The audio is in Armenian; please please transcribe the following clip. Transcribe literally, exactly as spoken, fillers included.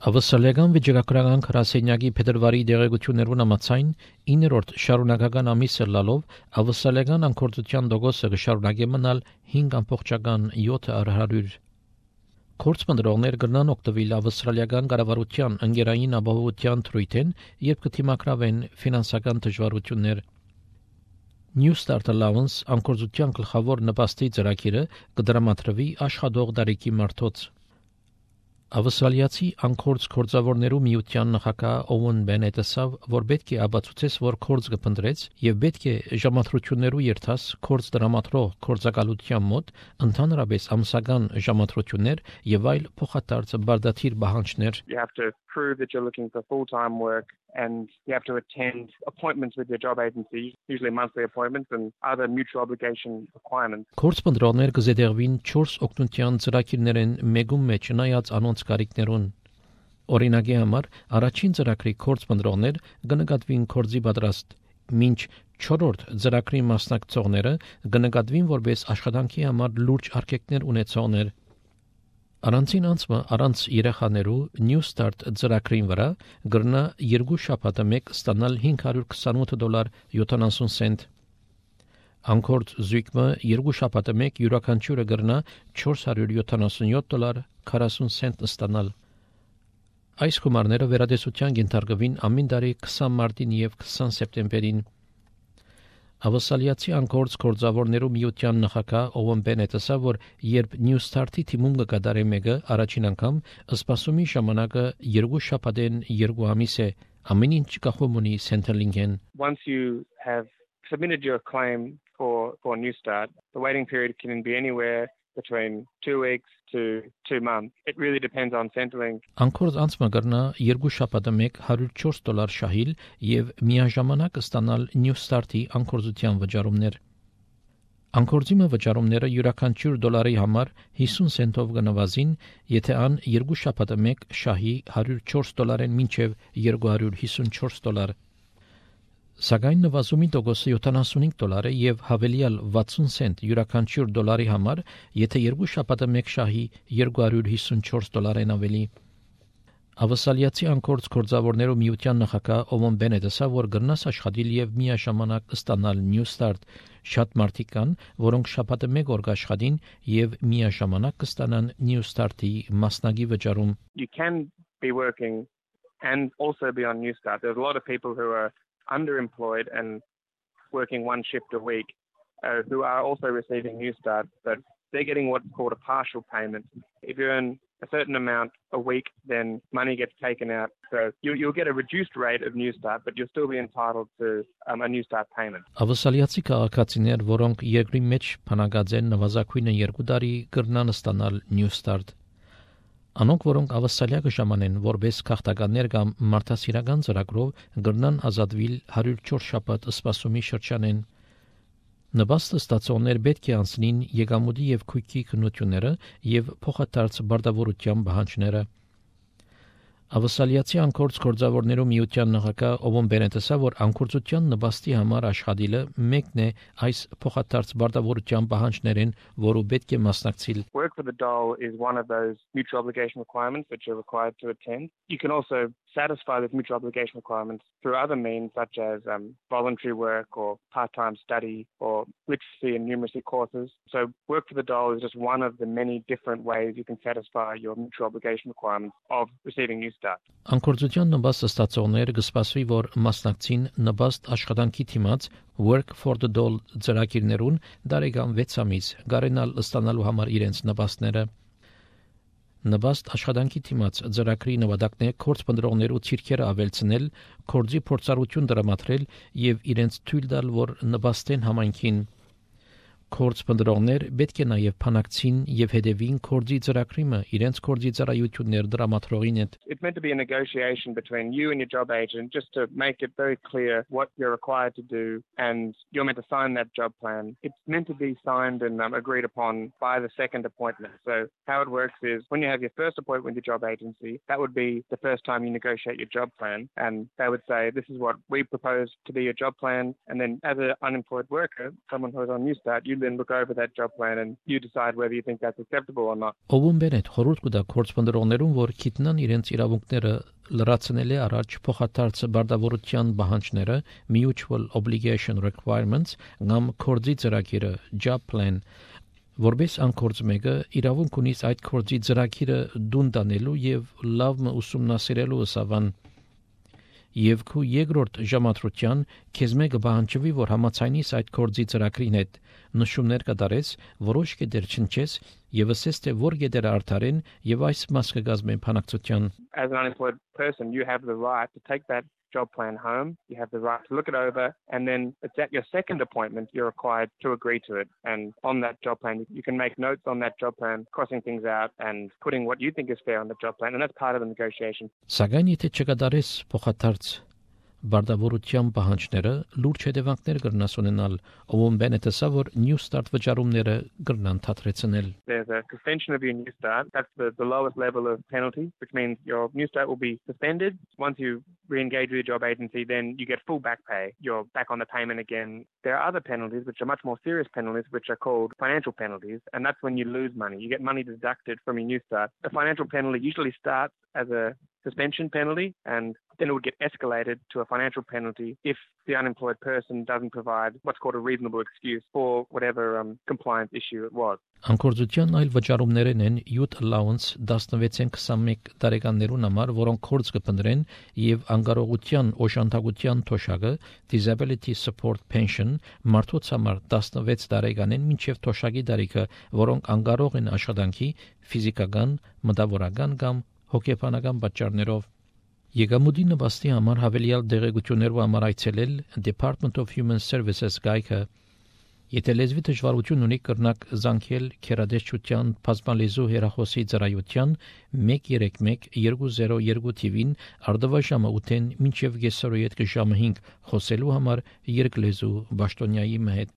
Ավսալիական վիճակագրական քրասենյակի փետրվարի դեղեցություններուն համաձայն իններորդ շարունակական ամիսը լալով ավսալիական անկորձության դոգոսը կշարունակի մնալ հինգ ամբողջական յոթ հարյուր։ Կորցմնդրողներ կգնան օգտվել ավստրալիական կառավարության ընկերային ապահովության թրույթեն, երբ կթիմակրավեն ֆինանսական դժվարություններ։ New Start Allowance անկորձության գլխավոր նպաստի ծրագիրը կդրամատրվի աշխատող դարիքի մարդոց։ Ավստրալիացի անկորձ կորձավորներու միության նախագահ Օուեն Բենետը ասավ, որ պետք է ապացուցես, որ կորձ կփնտրեց եւ պետք է ժամատրություններու երթաս կորձ դրամատրող կորձակալության մոտ ընդհանրապես ամսական ժամատրություններ եւ այլ փոխադարձ բարդաթիր պահանջներ։ You have to prove that you're looking for full-time work and you have to attend appointments with your job agency, usually monthly appointments and other mutual obligation requirements. Կորձմնդրողներ կզետեղվին չորս օգնության ծրագիրներեն մեկում մեջ նայած անոնց կարիքներուն։ Օրինակի համար առաջին ծրագրի կորձմնդրողներ կնկատվին կորձի պատրաստ, մինչ չորրորդ ծրագրի մասնակցողները կնկատվին որպես աշխատանքի համար լուրջ արգելքներ ունեցողներ։ Առանցին անցումը առանց երեխաներու New Start ծրագրին վրա գրնա երկու շաբաթը մեկ ստանալ հինգ հարյուր քսանութ դոլար յոթանասուն սենտ։ Անկորձ զույգը երկու շաբաթը մեկ յուրաքանչյուրը գրնա չորս հարյուր յոթանասունյոթ դոլար քառասուն սենտ ստանալ։ Այս գումարները վերադեսության ենթարկվին ամեն տարի քսան մարտին եւ քսան սեպտեմբերին։ Ավսալիացի անկորձ կորձավորներու միության նախագահ Օուեն Բենետը ասավ, որ երբ New Start-ի թիմում կկատարի մեկը առաջին անգամ սպասումի ժամանակը երկու շաբաթեն երկու ամիս է, ամեն ինչ կախում ունի Centrelink-են։ Once you have submitted your claim for for New Start, the waiting period can be anywhere between two weeks to two months. It really depends on Centrelink. Անկորձ անցումը կրնա երկու շաբաթը մեկ հարյուր չորս դոլար շահիլ եւ միաժամանակ ստանալ New Start-ի անկորձության վճարումներ։ Անկորձիմը վճարումները յուրաքանչյուր դոլարի համար հիսուն սենտով կնվազին, եթե ան երկու շաբաթը մեկ շահի հարյուր չորս դոլարեն մինչև երկու հարյուր հիսունչորս դոլար։ Սակայն նվազումի տոկոսը յոթանասունհինգ դոլար է եւ հավելյալ վաթսուն սենտ յուրաքանչյուր դոլարի համար, եթե երկու շաբաթը մեկ շահի երկու հարյուր հիսունչորս դոլարեն ավելի։ Ավսալիացի անկորձ կորձավորներու միության նախագահ Օուեն Բենետը ասավ, որ գրնաս աշխատիլ եւ միաժամանակ ստանալ New Start։ Շատ մարդիկ կան, որոնք շաբաթը մեկ օր կաշխատին եւ միաժամանակ կստանան New Start-ի մասնագի վճարում։ You can be working and also be on New Start. There's a lot of people who are underemployed and working one shift a week uh, who are also receiving New Start, but they're getting what's called a partial payment. If you earn a certain amount a week, then money gets taken out. So you, you'll get a reduced rate of New Start, but you'll still be entitled to um, a New Start payment. Ավսալիացի քաղաքացիներ, որոնք երկրի մեջ փնագած են նվազագույնը երկու տարի կրնան ստանալ New Start։ Անոնք, որոնք ավսալիա կժամանեն որպես քաղաքականներ կամ մարդասիրական ծրագրով կգրնան ազատվել հարյուր չորս շաբաթ սպասումի շրջանեն։ Նպաստը ստացողներ պետք է անցնին եկամուտի եւ քույքի քննությունները եւ փոխադարձ բարդավորության պահանջները։ Ավսալիացի անկորձ կորձավորներու միության նախագահ Օուեն Բենետը ասավ, որ անկորձության նպաստի համար աշխատելը մեկն է այս փոխադարձ բարդավորության պահանջներեն, որը պետք է մասնակցել։ Work for the dole is one of those mutual obligation requirements that you're required to attend. You can also satisfy those mutual obligation requirements through other means such as um, voluntary work or part-time study or literacy and numeracy courses. So work for the dole is just one of the many different ways you can satisfy your mutual obligation requirements of receiving New Start. Անկորձության նպաստ ստացողները կսպասվի, որ մասնակցին նպաստ աշխատանքի թիմած Work for the Dole ծրագիրներուն դարեկան վեց ամիս գարենալ ստանալու համար իրենց նպաստները։ Նպաստ աշխատանքի թիմած ծրագրի նվադակն է կորձմնդրողներու ցիրքերը ավելցնել, կորձի փորձառություն դրամատրել եւ իրենց թույլ տալ, որ նպաստեն համայնքին։ Կորձմնդրողներ պետք է նաև փանակցին եւ հետևին կորձի ծրագրիմը իրենց կորձի ծառայություններ դրամատրողին հետ։ It's meant to be a negotiation between you and your job agent just to make it very clear what you're required to do and you're meant to sign that job plan. It's meant to be signed and um, agreed upon by the second appointment. So how it works is when you have your first appointment with your job agency, that would be the first time you negotiate your job plan and they would say this is what we propose to be your job plan, and then as an unemployed worker, someone who's on New Start, you then look over that job plan and you decide whether you think that's acceptable or not. Ովուն բենետ խորհուրդ կտա կորցպնդրողներուն, որ գիտնան իրենց իրավունքները լրացնելի առաջ փոխադարձ բարդավորության պահանջները mutual obligation requirements կամ կորձի ծրագիրը job plan որպես անկորձ մեկը իրավունք ունի այդ կորձի ծրագիրը դուն տանելու եւ լավ ուսումնասիրելու սավան եւ քու երկրորդ ժամատրության քեզ մեկը բանջվի որ համացանից այդ կորձի ծրագրին հետ նշումներ կդարես որոշ կետեր չնչես եւ ասես թե որ կետերը արդարեն եւ այս մաս կգազմեն փանակցության. As an unemployed person, you have the right to take that job plan home. You have the right to look it over, and then it's at your second appointment you're required to agree to it. And on that job plan, you can make notes on that job plan, crossing things out and putting what you think is fair on the job plan, and that's part of the negotiation. Սակայն եթե չկդարես փոխադարձ բարդավորության պահանջները լուրջ հետևանքներ կրնաս ունենալ ով բենետը սա որ new start վճարումները կրնան թատրեցնել. There's a suspension of your new start. That's the, the lowest level of penalty, which means your new start will be suspended. Once you re-engage with your job agency, then you get full back pay. You're back on the payment again. There are other penalties, which are much more serious penalties, which are called financial penalties, and that's when you lose money. You get money deducted from your new start. A financial penalty usually starts as a suspension penalty, and then it would get escalated to a financial penalty if the unemployed person doesn't provide what's called a reasonable excuse for whatever um, compliance issue it was. Անկորձության այլ վճարումներն են youth allowance տասնվեցին քսանմեկ տարեկաններուն համար, որոնք կորձ կփնտրեն եւ անկարողության օժանդակության թոշակը disability support pension մարդոց համար տասնվեց տարեկանեն մինչեւ թոշակի տարիքը, որոնք անկարող են աշխատանքի ֆիզիկական, մտավորական կամ հոգեբանական պատճառներով. Եկամուտի նպաստի համար հավելյալ դեղեցություններով համար այցելել Department of Human Services գայքը. Եթե լեզվի դժվարություն ունի կրնակ զանգել քերադեշչության բազմալեզու հեռախոսի ծառայության մեկ երեք մեկ երկու զիրո երկու թիվին արդավաժամը ութեն մինչև կեսօրյետ ժամը հինգ խոսելու համար երկլեզու բաշտոնյայի հետ